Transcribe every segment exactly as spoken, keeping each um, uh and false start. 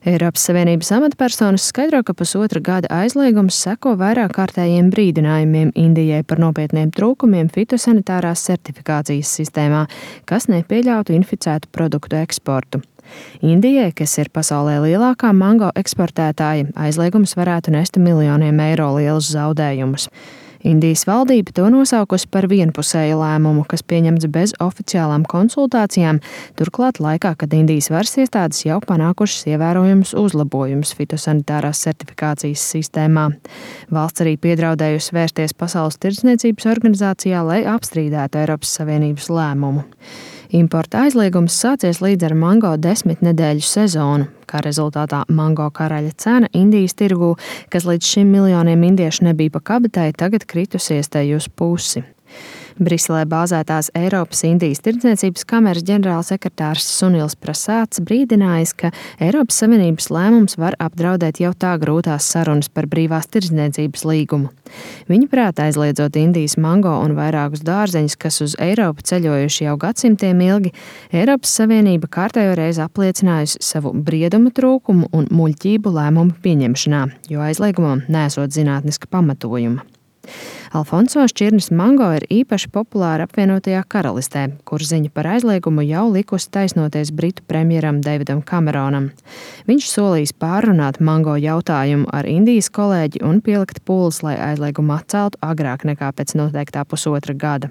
Eiropas Savienības amatpersonas skaidro, ka pusotra gada aizliegums seko vairāk kārtējiem brīdinājumiem Indijai par nopietniem trūkumiem fitosanitārās certifikācijas sistēmā, kas nepieļautu inficētu produktu eksportu. Indijai, kas ir pasaulē lielākā mango eksportētāja, aizliegums varētu nest miljoniem eiro lielus zaudējumus. Indijas valdība to nosaukusi par vienpusēju lēmumu, kas pieņemts bez oficiālām konsultācijām, turklāt laikā, kad Indijas varas iestādes jau panākušas ievērojumus uzlabojumus fitosanitārās certifikācijas sistēmā. Valsts arī piedraudējusi vērsties Pasaules tirdzniecības organizācijā, lai apstrīdētu Eiropas Savienības lēmumu. Importa aizliegums sācies līdz ar mango desmit nedēļu sezonu, kā rezultātā mango karaļa cena Indijas tirgū, kas līdz šim miljoniem indiešu nebija pa kabatai, tagad kritusies tai uz pusi. Briselē bāzētās Eiropas Indijas tirdzniecības kameras ģenerālsekretārs Sunils Prasāds brīdinājis, ka Eiropas Savienības lēmums var apdraudēt jau tā grūtās sarunas par brīvās tirdzniecības līgumu. Viņa prāt, aizliedzot Indijas mango un vairākus dārzeņus, kas uz Eiropu ceļojuši jau gadsimtiem ilgi, Eiropas Savienība kārtējo reizi apliecinājusi savu briedumu trūkumu un muļķību lēmumu pieņemšanā, jo aizliegumam nesot zinātniska pamatojuma. Alfonso šķirnes mango ir īpaši populāra apvienotajā karalistē, kur ziņa par aizliegumu jau likusi taisnoties britu premjeram Davidam Kameronam. Viņš solījis pārrunāt mango jautājumu ar Indijas kolēģi un pielikt pūles, lai aizliegumu atceltu agrāk nekā pēc noteiktā pusotra gada.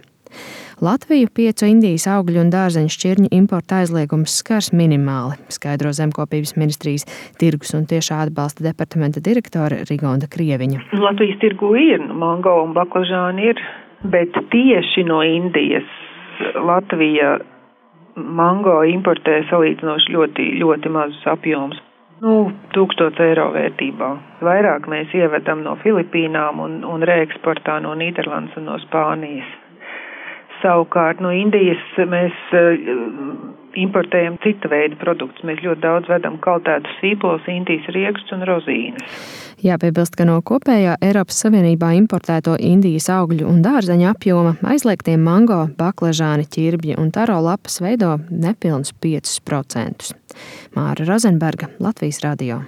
Latviju piecu Indijas augļu un dārzeņu šķirņu importa aizliegums skars minimāli, skaidro Zemkopības ministrijas tirgus un tiešā atbalsta departamenta direktore Rigonda Krieviņa. Latvijas tirgu ir, mango un baklažāni ir, bet tieši no Indijas Latvija mango importē salīdzinoši ļoti, ļoti mazus apjomus. Nu, tūkstots eiro vērtībā. Vairāk mēs ievedam no Filipīnām un, un reeksportā no Nīderlandes un no Spānijas. Savukārt no Indijas mēs importējam cita veida produktus. Mēs ļoti daudz vedam kaltētus sīpols, Indijas riekstus un rozīnes. Jāpiebilst, ka no kopējā Eiropas Savienībā importēto Indijas augļu un dārzeņu apjoma aizliegtie mango, baklažāni, ķirbji un taro lapas veido nepilnus piecus procentus. Māra Rozenberga, Latvijas radio.